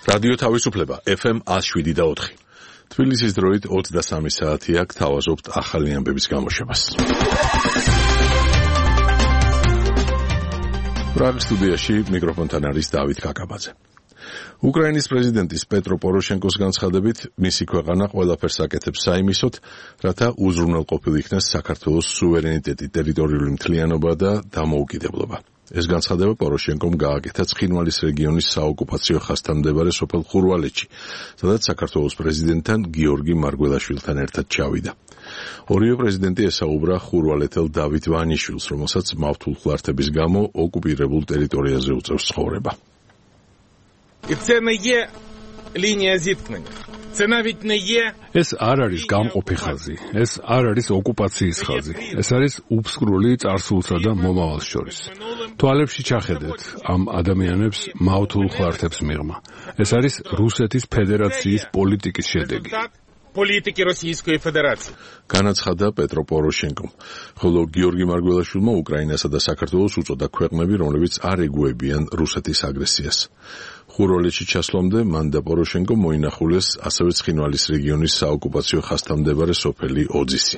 რადიო თავისუფლება FM 107.4. თბილისის დროით 23 საათია, გთავაზობთ ახალი ამბების გამოშვებას. პრაღის სტუდიაში მიკროფონთან არის დავით კაკაბაძე. უკრაინის პრეზიდენტის პეტრო პოროშენკოს განცხადებით, მისი ქვეყანა ყველაფერს აკეთებს საიმისოდ, რათა უზრუნველყოფილ იქნას საქართველოს სუვერენიტეტი, ტერიტორიული მთლიანობა და დამოუკიდებლობა. ეს განცხადება პოროშენკომ გააკეთა ცხინვალის რეგიონის საოკუპაციო ხაზთან მდებარე სოფელ ხურვალეთში, სადაც საქართველოს პრეზიდენტთან გიორგი მარგველაშვილთან ერთად ჩავიდა. ორივე პრეზიდენტი ესაუბრა ხურვალეთელ დავით ვანიშვილს, რომელსაც მავთულ ხლართების გამო ოკუპირებულ ტერიტორიაზე უწევს ცხოვრება. ეს არ არის გამყოფი ხაზი, ეს არ არის ოკუპაციის ხაზი, ეს არის უფსკრული წარსულსა და მომავალს შორის. თვალებში ჩახედეთ ამ ადამიანებს მავთულ ხლართებს მიღმა. ეს არის რუსეთის ფედერაციის პოლიტიკის შედეგი. პოლიტიკი რუსეთის ფედერაციის. განაცხადა პეტრო პოროშენკომ, ხოლო გიორგი მარგველაშვილმა უკრაინასა და საქართველოს უწოდა ქვეყნები, რომლებიც არ ეგუებიან რუსეთის აგრესიას. ხურვალეთში ჩასვლამდე მან და პოროშენკომ მოინახულეს ასევე ცხინვალის რეგიონის საოკუპაციო ხაზთან მდებარე სოფელი ოძისი.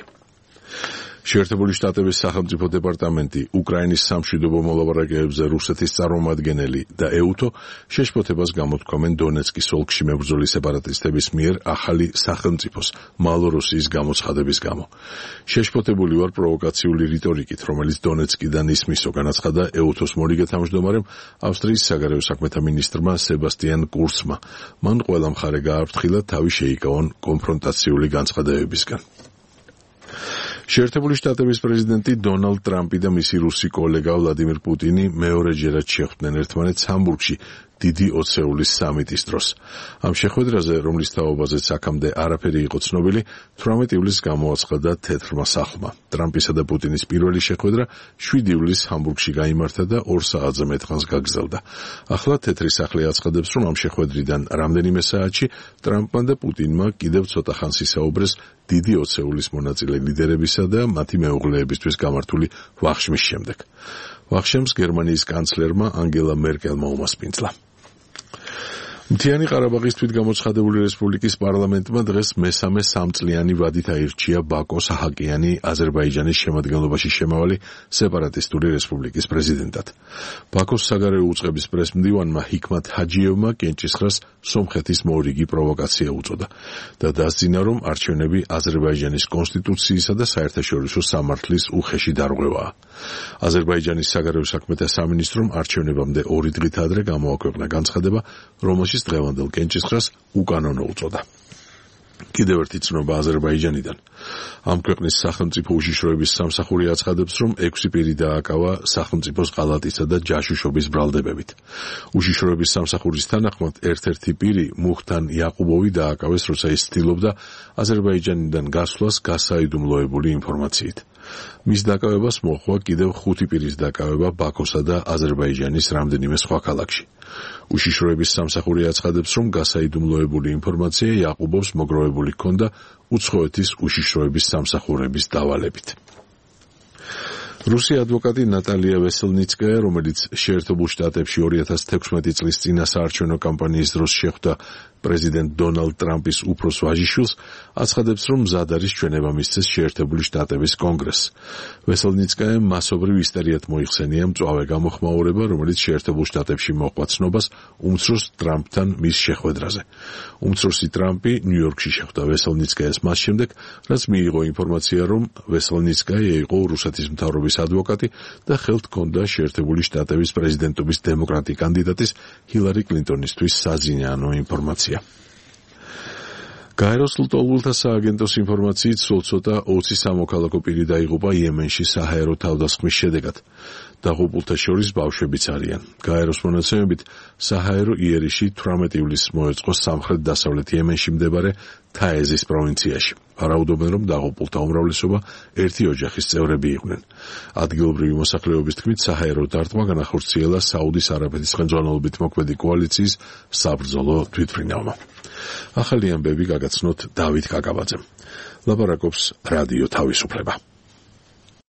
შეერთებული შტატების სახელმწიფო დეპარტამენტი, უკრაინის სამშვიდობო მოლაპარაკებებზე რუსეთის წარმომადგენელი და ეუთო შეშფოთებას გამოთქვამენ დონეცკის ოლქში მებრძოლი სეპარატისტების მიერ ახალი სახელმწიფოს მალოროსიის გამოცხადების გამო. შეშფოთებული ვარ პროვოკაციული რიტორიკით, რომელიც დონეცკიდან ისმისო, განაცხადა ეუთოს მორიგე თავმჯდომარემ ავსტრიის საგარეო საქმეთა მინისტრმა სებასტიან კურცმა. მან ყველა მხარე გააფრთხილა თავი შეიკავონ კონფრონტაციული განცხადებებისგან. შეერთებული შტატების პრეზიდენტი დონალდ ტრამპი და მისი რუსი კოლეგა ვლადიმირ პუტინი მეორეჯერად შეხვდნენ ერთმანეთს ჰამბურგში დიდი ოცეულის სამიტის დროს. ამ შეხვედრაზე, რომლის თაობაზეც აქამდე არაფერი იყო ცნობილი, 18 ივლისს გამოაცხადა თეთრმა სახლმა. ტრამპისა და პუტინის პირველი შეხვედრა 7 ივლისს ჰამბურგში გაიმართა და 2 საათზე მეტ ხანს გაგრძელდა. ახლა თეთრი სახლი აცხადებს, რომ ამ შეხვედრიდან რამდენიმე საათში ტრამპმა და პუტინმა კიდევ ცოტა ხანს ისაუბრეს დიდი ოცეულის მონაწილე ლიდერებისა და მათი მეუღლეებისთვის გამართული ვახშმის შემდეგ. ვახშემს გერმანიის კანცლერმა ანგელა მერკელმა უმასპინძლა. მთიანი ყარაბაღის თვითგამოცხადებული რესპუბლიკის პარლამენტმა დღეს მესამე სამწლიანი ვადით აირჩია ბაკო საჰაკიანი აზერბაიჯანის შემადგენლობაში შემავალი სეპარატისტული რესპუბლიკის პრეზიდენტად. ბაკოს საგარეო უწყების პრესმდივანმა ჰიკმათ ჰაჯიევმა კენჭისყრას სომხეთის მორიგი პროვოკაცია უწოდა და დასძინა, რომ არჩევნები აზერბაიჯანის კონსტიტუციისა და საერთაშორისო სამართლის უხეში დარღვევაა. აზერბაიჯანის საგარეო საქმეთა სამინისტრომ არჩევნებამდე 2 დღით ადრე გამოაქვეყნა განცხადება, რომელშიც დღევანდელ კენჭისყრას უკანონო უწოდა. კიდევ ერთი ცნობა აზერბაიჯანიდან. ამ ქვეყნის სახელმწიფო უშიშროების სამსახური აცხადებს, რომ 6 პირი დააკავა სახელმწიფოს ღალატისა და ჯაშუშობის ბრალდებებით. უშიშროების სამსახურის თანახმად ერთ-ერთი პირი მუხთან იაყუბოვი დააკავეს, როცა ის ცდილობდა აზერბაიჯანიდან გასვლას გასაიდუმლოებული ინფორმაციით. მის დაკავებას მოჰყვა კიდევ 5 პირის დაკავება ბაქოსა და აზერბაიჯანის რამდენიმე სხვა ქალაქში. უშიშროების სამსახური აცხადებს, რომ გასაიდუმლოებული ინფორმაცია იაყუბოვს მოგროვებული ჰქონდა უცხოეთის უშიშროების სამსახურების დავალებით. რუსი ადვოკატი ნატალია ვესელნიცკაია, რომელიც შეერთებულ შტატებში 2016 წლის წინა საარჩევნო კამპანიის დროს შეხვდა პრეზიდენტ დონალდ ტრამპის უფროს ვაჟიშვილს, აცხადებს, რომ მზად არის ჩვენება მისცეს შეერთებული შტატების კონგრესს. ვესელნიცკაიამ მასობრივ ისტერიათ მოიხსენია მწვავე გამოხმაურება, რომელიც შეერთებულ შტატებში მოჰყვა ცნობას უმცროს ტრამპთან მის შეხვედრაზე. უმცროსი ტრამპი ნიუ-იორკში შეხვდა ვესელნიცკაიას მას შემდეგ, რაც მიიღო ინფორმაცია, რომ ვესელნიცკაია იყო რუსეთის მთავრობის ადვოკატი და ხელთ ჰქონდა შეერთებული შტატების პრეზიდენტობის დემოკრატი კანდიდატის ჰილარი კლინტონისთვის საზინაანო ინფორმაცია. გაეროს ლტოლვილთა სააგენტოს ინფორმაციით სულ ცოტა 20 სამოქალაქო პირი დაიღუპა იემენში საჰაერო თავდასხმის შედეგად. დაღუპულთა შორის ბავშვებიც არიან. გაეროს მონაცემებით საჰაერო იერიში 18 ივლისს მოეწყო სამხრეთ-დასავლეთ იემენში მდებარე თაეზის პროვინციაში. ვარაუდობენ, რომ დაღუპულთა უმრავლესობა ერთი ოჯახის წევრები იყვნენ. ადგილობრივი მოსახლეობის თქმით, საჰაერო დარტყმა განახორციელა საუდის არაბეთის ხელმძღვანელობით მოქმედი კოალიციის საბრძოლო თვითმფრინავმა. ახალი ამბები გაგაცნოთ დავით კაკაბაძემ. ლაპარაკობს რადიო თავისუფლება.